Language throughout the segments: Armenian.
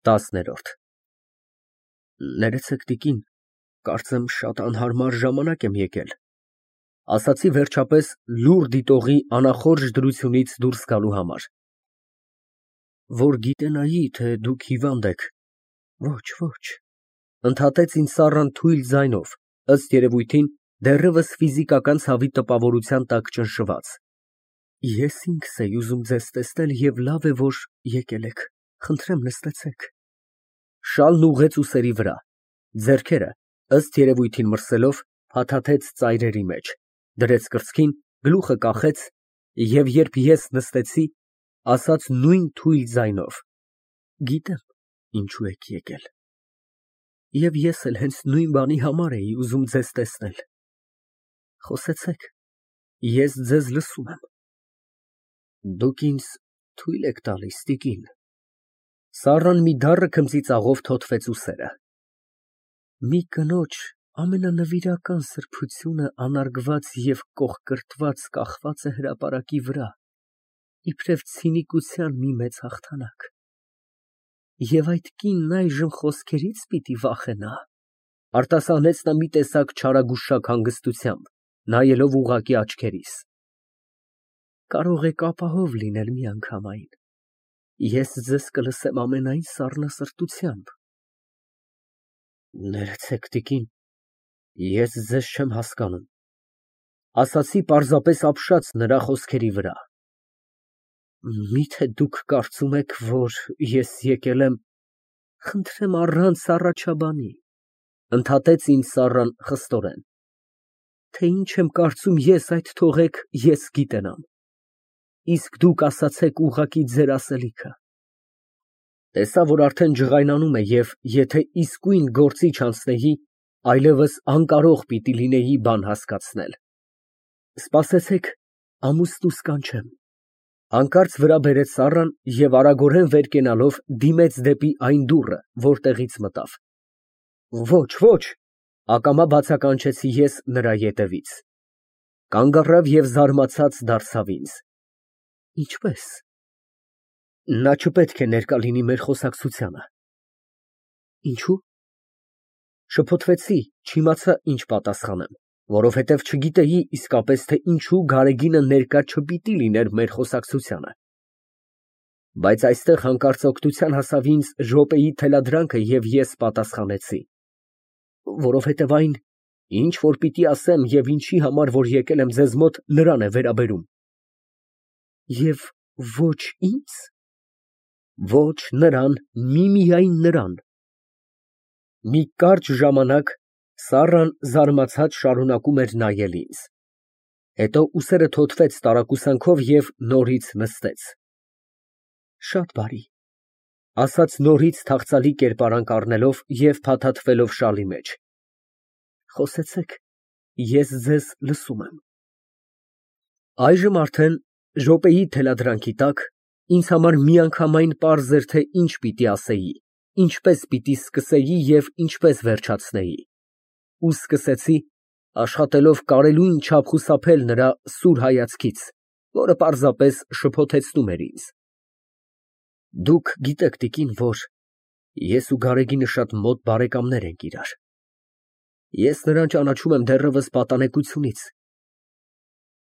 10-րդ Ներեցեք տիկին, կարծեմ շատ անհարմար ժամանակ եմ եկել, ասացի վերջապես լուռ դիտողի անախորժ դրությունից դուրս գալու համար, որ գիտենայի, թե դուք հիվանդ եք, ոչ, ընդհատեց ինձ Սառան թույլ ձայնով, ըստ երևույթին դեռևս ֆիզիկական ցավի տպավորության տակ ճնշված, ես ինքս էի ուզում ձեզ տեսնել և լավ է, որ եկել եք, խնդրեմ նստեցեք, շալն ուղղեց ուսերի վրա, ձեռքերը, ըստ երևույթին մրսելով, փաթաթեց ծայրերի մեջ, դրեց կրծքին, գլուխը կախեց և երբ ես նստեցի, ասաց նույն թույլ ձայնով. Գիտեմ, ինչու եք եկել, և ես էլ հենց նույն բանի համար էի ուզում ձեզ տեսնել, խոսեցեք, ես ձեզ լսում եմ, դուք ինձ թույլ եք տալիս, տիկին, Սառան մի դառը քմծիծաղով թոթվեց ուսերը, մի կնոջ ամենանվիրական սրբությունը անարգված և կոխկրտված կախված է հրապարակի վրա, իբրև ցինիկության մի մեծ հաղթանակ, և այդ կինն այժմ խոսքերից պիտի վախենա, արտասանեց նա մի տեսակ չարագուշակ հանգստությամբ, նայելով ուղղակի աչքերիս, կարող եք ապահով լինել միանգամայն, ես ձեզ կլսեմ ամենայն սառնասրտությամբ, ներեցեք տիկին, ես ձեզ չեմ հասկանում, ասացի պարզապես ապշած նրա խոսքերի վրա, միթե դուք կարծում եք, որ ես եկել եմ, խնդրեմ առանց առաջաբանի, ընդհատեց ինձ Սառան խստորեն, թե ինչ եմ կարծում ես այդ թողեք ես գիտենամ, իսկ դուք ասացեք ուղղակի ձեր ասելիքը, տեսա, որ արդեն ջղայնանում է և եթե իսկույն գործի չանցնեի, այլևս անկարող պիտի լինեի բան հասկացնել, սպասեցեք, ամուսնուս կանչեմ, հանկարծ վրա բերեց Սառան և արագորեն վեր կենալով դիմեց դեպի այն դուռը, որտեղից մտավ, ոչ, ակամա բացականչեցի ես նրա ետևից, կանգ առավ և զարմացած դարձավ ինձ, ինչպե՞ս, նա չպետք է ներկա լինի մեր խոսակցությանը, ինչո՞ւ, շփոթվեցի, չիմացա ինչ պատասխանեմ, որովհետև չգիտեի իսկապես, թե ինչու Գարեգինը ներկա չպիտի լիներ մեր խոսակցությանը, բայց այստեղ հանկարծ օգնության հասավ ինձ րոպեի թելադրանքը և ես պատասխանեցի, որովհետև այն, ինչ որ պիտի ասեմ և ինչի համար որ եկել եմ ձեզ մոտ, նրան է վերաբերում, և ոչ ինձ, ոչ նրան, միմիայն նրան, մի կարճ ժամանակ Սառան զարմացած շարունակում էր նայել ինձ, հետո ուսերը թոթվեց տարակուսանքով և նորից նստեց, շատ բարի, ասաց նորից թախծալի կերպարանք առնելով և փաթաթվելով շալի մեջ, խոսեցեք, ես ձեզ լսում եմ, այժմ արդեն րոպեի թելադրանքի տակ ինձ համար միանգամայն պարզ էր, թե ինչ պիտի ասեի, ինչպես պիտի սկսեի և ինչպես վերջացնեի, ու սկսեցի, աշխատելով կարելույն չափ խուսափել նրա սուր հայացքից, որը պարզապես շփոթեցնում էր ինձ, դուք գիտեք, տիկին, որ ես ու Գարեգինը շատ մոտ բարեկամներ ենք իրար, ես նրան ճանաչում եմ դեռևս պատանեկությունից,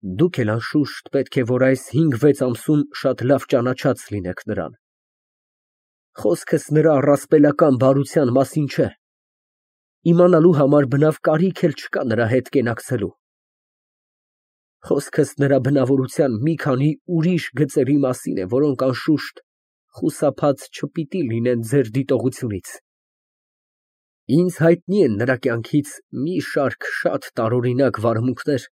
դուք էլ անշուշտ պետք է որ այս 5-6 ամսում շատ լավ ճանաչած լինեք նրան, խոսքս նրա առասպելական բարության մասին չէ, իմանալու համար բնավ կարիք էլ չկա նրա հետ կենակցելու, խոսքս նրա բնավորության մի քանի ուրիշ գծերի մասին է, որոնք անշուշտ խուսափած չպիտի լինեն ձեր դիտողությունից, ինձ հայտնի են նրա կյանքից մի շարք շատ տարօրինակ վարմունքներ,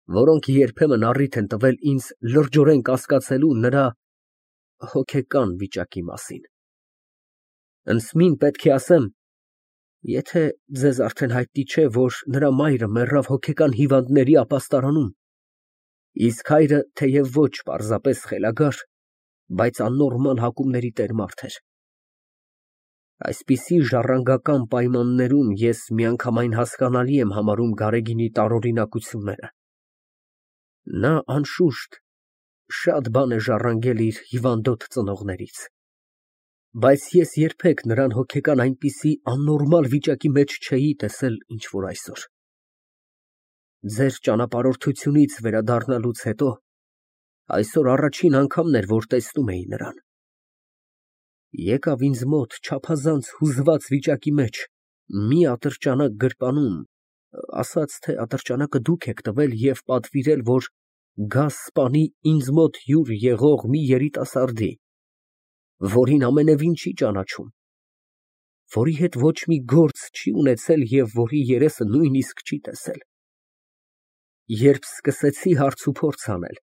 որոնք երբեմն առիթ են տվել ինձ լրջորեն կասկածելու նրա հոգեկան վիճակի մասին, ընծմին պետք է ասեմ, եթե ձեզ արդեն հայտնի չէ, որ նրա մայրը մեռավ հոգեկան հիվանդների ապաստարանում, իսկ հայրը թեև ոչ պարզապես խելագար, բայց աննորմալ հակումների տեր մարդ էր, այսպիսի ժառանգական պայմաններում ես միանգամայն հասկանալի եմ համարում Գարեգինի տարօրինակությունները, նա անշուշտ շատ բան է ժառանգել իր հիվանդոտ ծնողներից, Բայց ես երբեք նրան հոգեկան այնպիսի աննորմալ վիճակի մեջ չէի տեսել, ինչ որ այսօր։ Ձեր ճանապարհորդությունից վերադառնալուց հետո այսօր առաջին անգամն էր, որ տեսնում էի նրան։ Եկավ ինձ մոտ չափազանց հուզված վիճակի մեջ, մի ատրճանակ գրպանում, ասաց, թե ատրճանակը դուք եք տվել և պատվիրել, որ գազ սպանի ինձ մոտ հյուր եղող մի երիտասարդի, որին ամենևին չի ճանաչում, որի հետ ոչ մի գործ չի ունեցել և որի երեսը նույնիսկ չի տեսել։ Երբ սկսեցի հարց ու փորձ անել,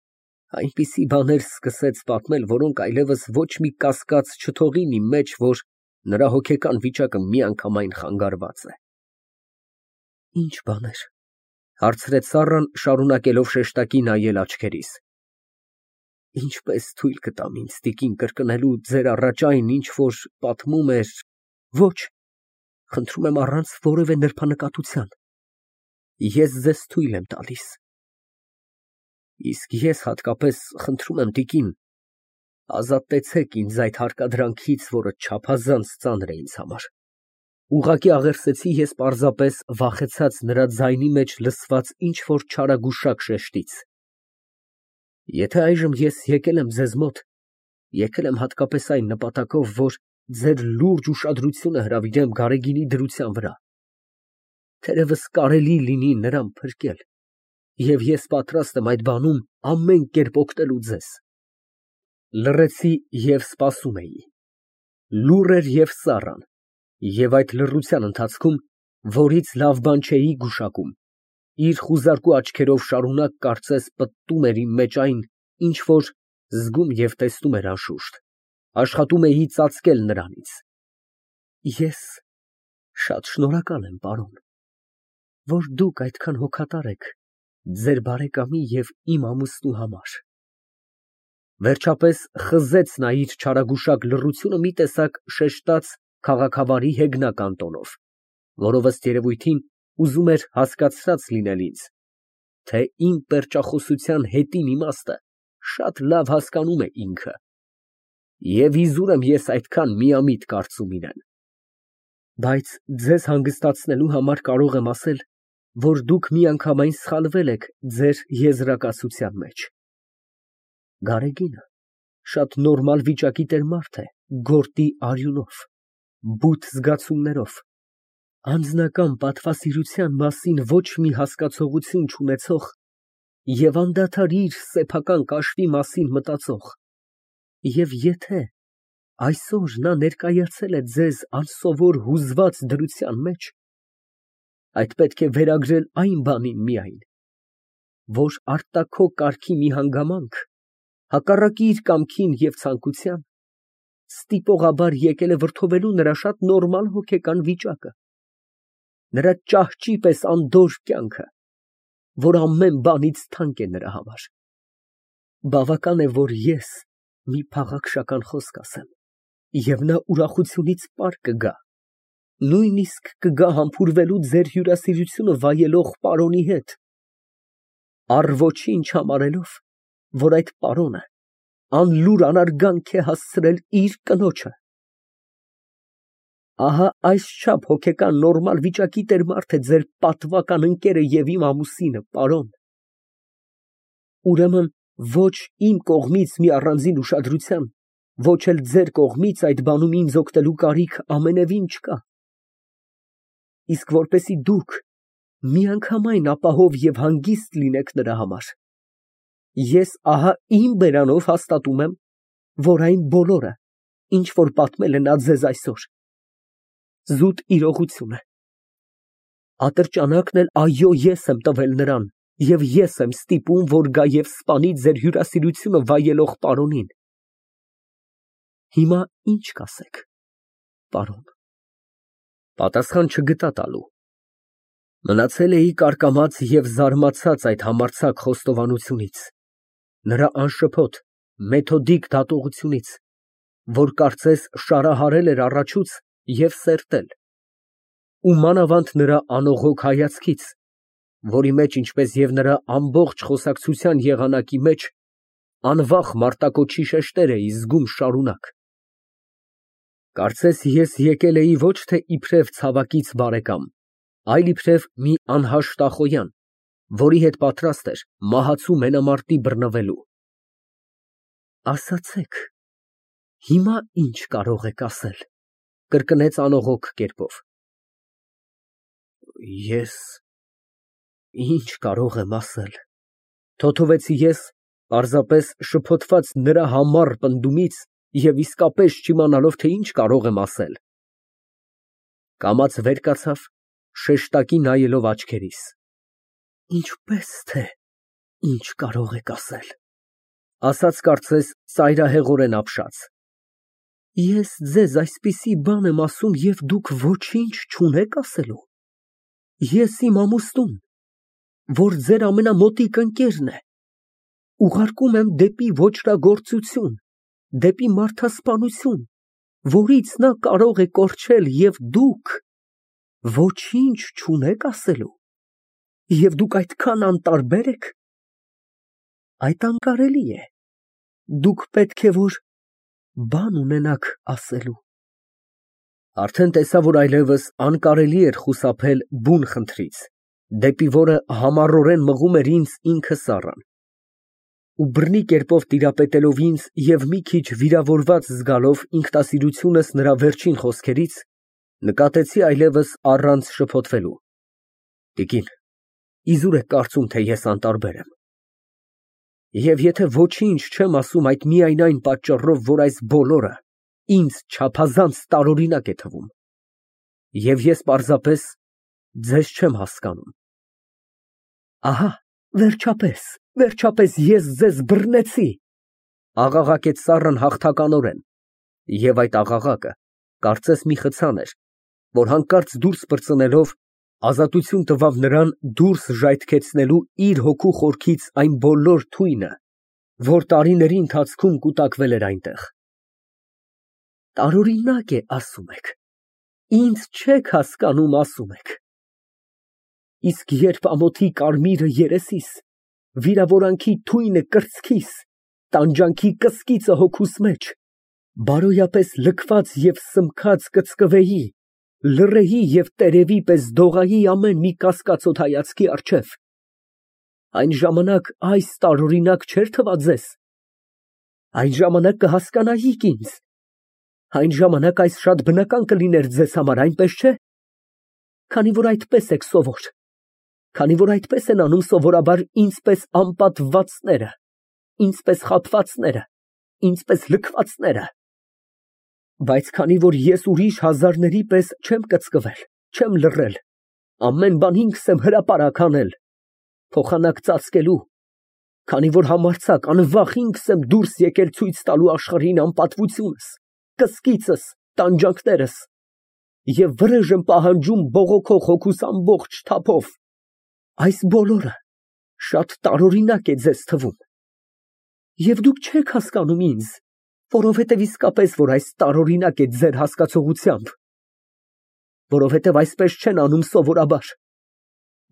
այնպիսի բաներ սկսեց պատմել, որոնք այլևս ոչ մի կասկած չթողին իմ մեջ, որ նրա հոգեկան վիճակը միանգամայն խանգարված է։ Ինչ բաներ, հարցրեց Սառան, շարունակելով շեշտակի նայել աչքերիս։ Ինչպես թույլ կտամ ինձ տիկին կրկնելու ձեր առաջ այն, ինչ որ պատմում էր, ոչ, խնդրում եմ առանց որևէ նրբանկատության, ես ձեզ թույլ եմ տալիս։ Իսկ ես հատկապես խնդրում եմ տիկին, ազատեցեք ինձ այդ հարկադրանքից, որը չափազանց ծանր է ինձ համար։ Ուղղակի աղերսեցի ես պարզապես վախեցած նրա ձայնի մեջ լսված ինչ-որ չարագուշակ շեշտից։ Եթե այժմ ես եկել եմ ձեզ մոտ, եկել եմ հատկապես այն նպատակով, որ ձեր լուրջ ուշադրությունը հրավիրեմ Գարեգինի դրության վրա, թերևս կարելի լինի նրան փրկել, և ես պատրաստ եմ այդ բանում ամեն կերպ օգնելու ձեզ։ Լռեցի և սպասում էի։ Լուռ էր և Սառան, և այդ լռության ընթացքում, որից լավ բան չէի գուշակում, իր խուզարկու աչքերով շարունակ կարծես պտտում էր իմ մեջ այն, ինչ որ զգում և տեսնում էր անշուշտ, աշխատում էի ծածկել նրանից։ Ես շատ շնորհակալ եմ, պարոն, որ դուք այդքան հոգատար եք ձեր բարեկամի և իմ ամուսնու համար։ Վերջապես խզեց նա իր չարագուշակ լռությունը մի տեսակ շեշտած քաղաքավարի հեգնական տոնով, որով ըստ երևույթին ուզում էր հասկացրած լինել ինձ, թե իմ պերճախոսության հետին իմաստը շատ լավ հասկանում է ինքը, և իզուր եմ ես այդքան միամիտ կարծում իրեն։ Բայց ձեզ հանգստացնելու համար կարող եմ ասել, որ դուք միանգամայն սխալվել եք ձեր եզրակացության մեջ։ Գարեգինը շատ նորմալ վիճակի տեր մարդ է, գորտի արյունով, բութ զգացումներով, անձնական պատվասիրության մասին ոչ մի հասկացողություն չունեցող և անդադար իր սեփական կաշվի մասին մտածող, և եթե այսօր նա ներկայացել է ձեզ անսովոր հուզված դրության մեջ, այդ պետք է վերագրել այն բանին միայն, որ արտաքո կարգի մի հանգամանք, հակառակ իր կամքին և ցանկության, ստիպողաբար եկել է վրդովելու նրա շատ նորմալ հոգեկան վիճակը, նրա ճահճի պես անդորր կյանքը, որ ամեն բանից թանկ է նրա համար։ Բավական է, որ ես մի փաղաքշական խոսք ասեմ, և նա ուրախությունից պար կգա, նույնիսկ կգա համբուրվելու ձեր հյուրասիրությունը վայելող պարոնի հետ, առ ոչինչ համարելով, որ այդ պարոնը անլուր անարգանք է հասցրել իր կնոջը։ Ահա այսչափ հոգեկան նորմալ վիճակի տեր մարդ է ձեր պատվական ընկերը և իմ ամուսինը, պարոն։ Ուրեմն ոչ իմ կողմից մի առանձին ուշադրության, ոչ էլ ձեր կողմից այդ բանում ինձ օգնելու կարիք ամենևին չկա։ Իսկ որպեսզի դուք միանգամայն ապահով և հանգիստ լինեք նրա համար, ես ահա իմ բերանով հաստատում եմ, որ այն բոլորը, ինչ որ պատմել է նա ձեզ այսօր, զուտ իրողություն է։ Ատրճանակն էլ, այո, ես եմ տվել նրան, և ես եմ ստիպում, որ գա և սպանի ձեր հյուրասիրությունը վայելող պարոնին։ Հիմա ի՞նչ կասեք, պարոն։ Պատասխան չգտա տալու։ Մնացել էի կարկամած և զարմացած այդ համարձակ խոստովանությունից, նրա անշփոթ, մեթոդիկ դատողությունից, որ կարծես շարահարել էր առաջուց և սերտել, ու մանավանդ նրա անողոք հայացքից, որի մեջ, ինչպես և նրա ամբողջ խոսակցության եղանակի մեջ, անվախ մարտակոչի շեշտեր էի զգում շարունակ։ Կարծես ես եկել էի ոչ թե իբրև ցավակից բարեկամ, այլ իբրև մի անհաշտ ախոյան, որի հետ պատրաստ էր մահացու մենամարտի բռնվելու։ Ասացեք, հիմա ինչ կարող եք ասել, կրկնեց անողոք կերպով։ Ես ինչ կարող եմ ասել, թոթովեցի ես, պարզապես շփոթված նրա համառ պնդումից և իսկապես չիմանալով, թե ինչ կարող եմ ասել։ Կամաց վեր կացավ, շեշտակի նայելով աչքերիս։ Ինչպես թե ինչ կարող եք ասել, ասաց կարծես ծայրահեղորեն ապշած։ Ես ձեզ այսպիսի բան եմ ասում և դուք ոչինչ չունեք ասելու։ Ես իմ ամուսնուն, որ ձեր ամենամոտիկ ընկերն է, ուղարկում եմ դեպի ոճրագործություն, դեպի մարդասպանություն, որից նա կարող է կորչել և դուք ոչինչ չունեք ասելու, և դուք այդքան անտարբեր եք։ Այդ անկարելի է, դուք պետք է որ բան ունենաք ասելու։ Արդեն տեսա, որ այլևս անկարելի էր խուսափել բուն խնդրից, դեպի որը համառորեն մղում էր ինձ ինքը Սառան։ Ու բռնի կերպով տիրապետելով ինձ և մի քիչ վիրավորված զգալով ինքնասիրությունս նրա վերջին խոսքերից, նկատեցի այլևս առանց շփոթվելու. Տիկին, իզուր եք կարծում, թե ես անտարբեր եմ։ Եվ եթե ոչինչ չեմ ասում այդ միայն այն պատճառով, որ այս բոլորը ինձ չափազանց տարօրինակ է թվում, և ես պարզապես ձեզ չեմ հասկանում։ Ահա, վերջապես ես ձեզ բռնեցի, աղաղակեց Սառան հաղթականորեն, և այդ աղաղակը կարծես մի խցան էր, որ հանկարծ դուրս պրծնելով ազատություն տվավ նրան դուրս ժայթքեցնելու իր հոգու խորքից այն բոլոր թույնը, որ տարիների ընթացքում կուտակվել էր այնտեղ։ Տարօրինակ է, ասում եք, ինձ չեք հասկանում, ասում եք։ Իսկ երբ ամոթի կարմիրը երեսիս, վիրավորանքի թույնը կրծքիս, տանջանքի կսկիծը հոգուս մեջ, բարոյապես լքված և սմբքած կծկվեի, լռեի և տերևի պես դողայի ամեն մի կասկածոտ հայացքի առջև, այն ժամանակ այս տարօրինակ չէր թվա ձեզ, այն ժամանակ կհասկանայիք ինձ, այն ժամանակ այս շատ բնական կլիներ ձեզ համար, այնպես չէ՞, քանի որ այդպես եք սովոր, քանի որ այդպես են անում սովորաբար ինձպես անպատվվածները, ինձպես խաբվածները, ինձպես լքվածները, բայց քանի որ ես ուրիշ հազարների պես չեմ կծկվել, չեմ լռել, ամեն բան ինքս եմ հրապարակ անել, փոխանակ ծածկելու, քանի որ համարձակ անվախ ինքս եմ դուրս եկել ցույց տալու աշխարհին անպատվությունս, կսկիծս, տանջանքներս, և վրեժ եմ պահանջում բողոքող հոգուս ամբողջ թափով, այս բոլորը շատ տարօրինակ է ձեզ թվում, և դուք չեք հասկանում ինձ, որովհետև իսկապես որ այս տարօրինակ է ձեր հասկացողությամբ, որովհետև այսպես չեն անում սովորաբար,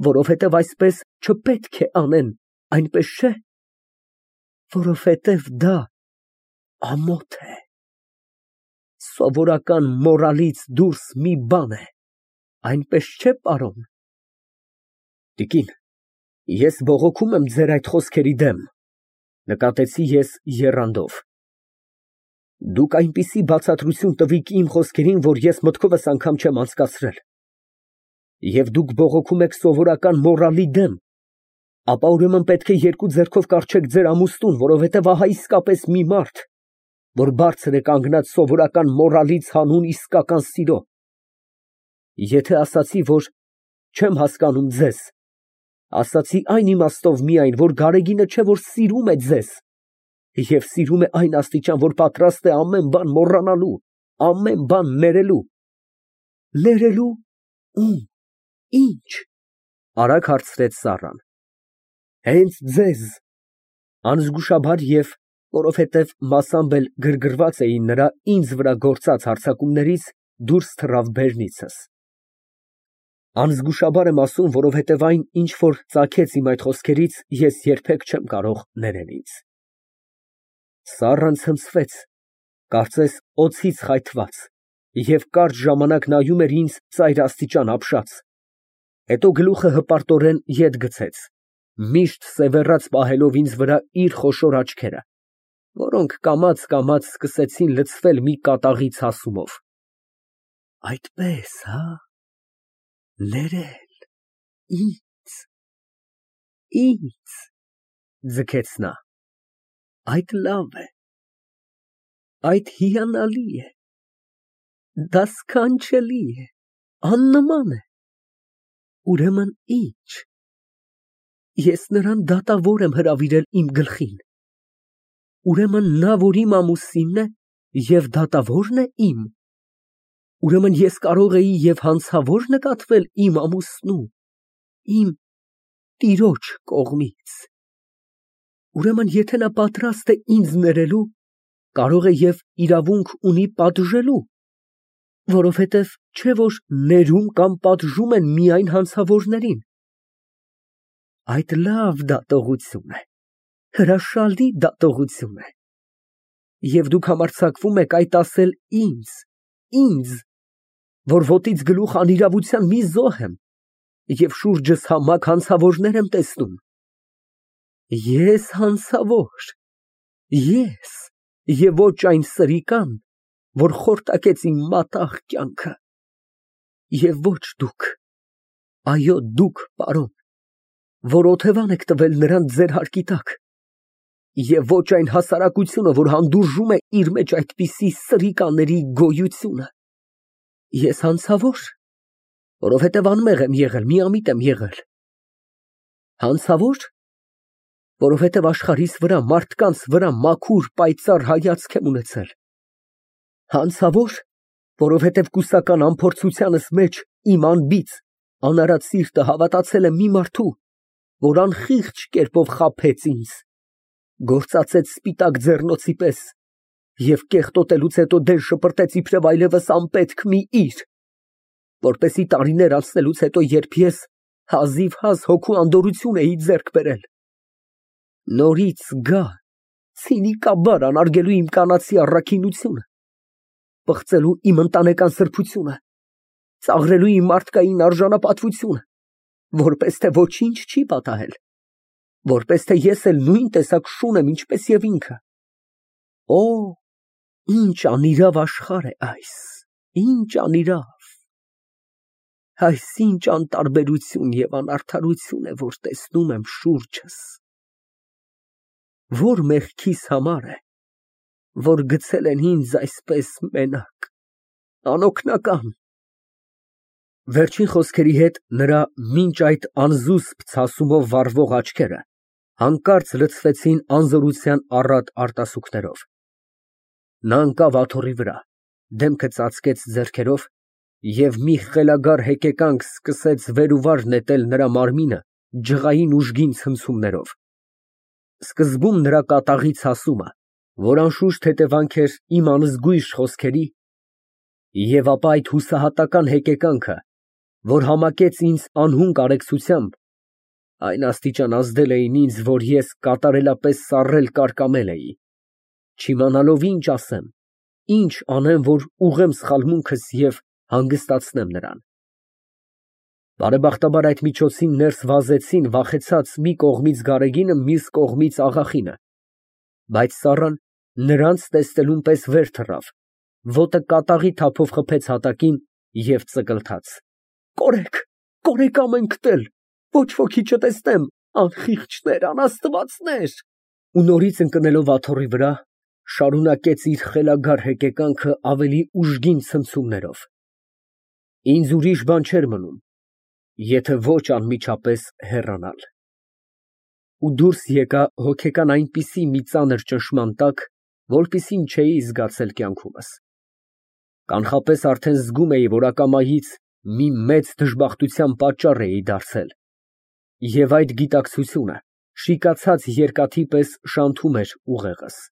որովհետև այսպես չպետք է անեն, այնպես չէ, որովհետև դա ամոթ է, սովորական մորալից դուրս մի բան է, այնպես չէ, պարոն։ Տիկին, ես բողոքում եմ ձեր այդ խոսքերի դեմ, նկատեցի ես եռանդով։ Դուք այնպիսի բացատրություն տվիք իմ խոսքերին, որ ես մտքովս անգամ չեմ անցկացրել, և դուք բողոքում եք սովորական մորալի դեմ, ապա ուրեմն պետք է երկու ձեռքով կառչեք ձեր ամուսնուն, որովհետև ահա իսկապես մի մարդ, որ բարձր է կանգնած սովորական մորալից հանուն իսկական սիրո։ Եթե ասացի, որ չեմ հասկանում ձեզ, ասացի այն իմաստով միայն, որ Գարեգինը չէ որ սիրում է ձեզ, և սիրում է այն աստիճան, որ պատրաստ է ամեն բան մոռանալու, ամեն բան ներելու։ Ներելու ում, ինչ, արագ հարցրեց Սառան։ Հենց ձեզ, անզգուշաբար և որովհետև մասամբ էլ գրգռված էի նրա ինձ վրա գործած հարձակումներից, դուրս թռավ բերնիցս։ Անզգուշաբար եմ ասում, որովհետև այն, ինչ որ ծագեց իմ այդ խոսքերից, ես երբեք չեմ կարող ներել ինձ։ Սառան ցնցվեց, կարծես օձից խայթված, Եվ կարճ ժամանակ նայում էր ինձ ծայրաստիճան ապշած, հետո գլուխը հպարտորեն ետ գցեց, միշտ սևեռած պահելով ինձ վրա իր խոշոր աչքերը, որոնք կամաց սկսեցին լցվել մի կատաղի ցասումով։ Այդպես, հա՞, ներել, ինձ, ձգեց նա, այդ լավ է, այդ հիանալի է, դա սքանչելի է, աննման է, ուրեմն ինչ, ես նրան դատավոր եմ հրավիրել իմ գլխին, ուրեմն նա, որ իմ ամուսինն է և դատավորն է իմ, ուրեմն ես կարող էի և հանցավոր նկատվել իմ ամուսնու, իմ տիրոջ կողմից, ուրեմն եթե նա պատրաստ է ինձ ներելու, կարող է և իրավունք ունի պատժելու, որովհետև չէ՞ որ ներում կամ պատժում են միայն հանցավորներին, այդ լավ դատողություն է, հրաշալի դատողություն է, և դուք համարձակվում եք այդ ասել ինձ, որ ոտից գլուխ անիրավության մի զոհ եմ և շուրջս համակ հանցավորներ եմ տեսնում, ես հանցավոր, ես և ոչ այն սրիկան, որ խորտակեց իմ մատաղ կյանքը, և ոչ դուք, այո դուք, պարոն, որ օթևան եք տվել նրան ձեր հարկի տակ, և ոչ այն հասարակությունը, որ հանդուրժում է իր մեջ այդպիսի սրիկաների գոյությունը, ես հանցավոր, որովհետև անմեղ եմ եղել, միամիտ եմ եղել, հանցավոր, որովհետև աշխարհիս վրա, մարդկանց վրա մաքուր, պայծառ հայացք եմ ունեցել, հանցավոր, որովհետև կուսական անփորձությանս մեջ իմ անբիծ, անարատ սիրտը հավատացել է մի մարդու, որ անխիղճ կերպով խաբեց ինձ, գործածեց սպիտակ ձեռնոցի պես և կեղտոտելուց հետո դեն շպրտեց իբրև այլևս անպետք մի իր, որպեսզի տարիներ անցնելուց հետո, երբ ես հազիվհազ հոգու անդորրություն էի ձեռք բերել, նորից գա ցինիկաբար անարգելու իմ կանացի առաքինությունը, պղծելու իմ ընտանեկան սրբությունը, ծաղրելու իմ մարդկային արժանապատվությունը, որպես թե ոչինչ չի պատահել, որպես թե ես էլ նույն տեսակ շուն եմ, ինչպես և ինքը, օ, ինչ անիրավ աշխարհ է այս, ինչ անիրավ, այս ինչ անտարբերություն և անարդարություն է, որ տեսնում եմ շուրջս, որ մեղքիս համար է, որ գցել են ինձ այսպես մենակ, անօգնական։ Վերջին խոսքերի հետ նրա մինչ այդ անզուսպ ցասումով վառվող աչքերը հանկարծ լցվեցին անզորության առատ արտասուքներով։ Նա ընկավ աթոռի վրա, դեմքը ծածկեց ձեռքերով և մի խելագար հեկեկանք սկսեց վեր ու վար նետել նրա մարմինը ջղային ուժգին ցնցումներով։ Սկզբում նրա կատաղի ցասումը, որ անշուշտ հետևանք էր իմ անզգույշ խոսքերի, և ապա այդ հուսահատական հեկեկանքը, որ համակեց ինձ անհուն կարեկցությամբ, այն աստիճան ազդել էին ինձ, որ ես կատարելապես սառել կարկամել էի, չիմանալով ինչ ասեմ, ինչ անեմ, որ ուղղեմ սխալմունքս և հանգստացնեմ նրան։ Բարեբախտաբար այդ միջոցին ներս վազեցին վախեցած մի կողմից Գարեգինը, մյուս կողմից աղախինը, բայց Սառան նրանց տեսնելուն պես վեր թռավ, ոտը կատաղի թափով խփեց հատակին և ծկլթաց. Կորեք ամենքդ էլ, ոչ ոքի չտեսնեմ, անխիղճներ, անաստվածներ, ու նորից ընկնելով աթոռի վրա, շարունակեց իր խելագար հեկեկանքը ավելի ուժգին ցնցումներով։ Ինձ ուրիշ բան չէր մնում, եթե ոչ անմիջապես հեռանալ։ Ու դուրս եկա հոգեկան այնպիսի մի ծանր ճնշման տակ, որպիսին չէի զգացել կյանքումս։ Կանխապես արդեն զգում էի, որ ակամայից մի մեծ դժբախտության պատճառ էի դարձել, և այդ գիտակցությունը շիկացած երկաթի պես շանթում էր ուղեղս։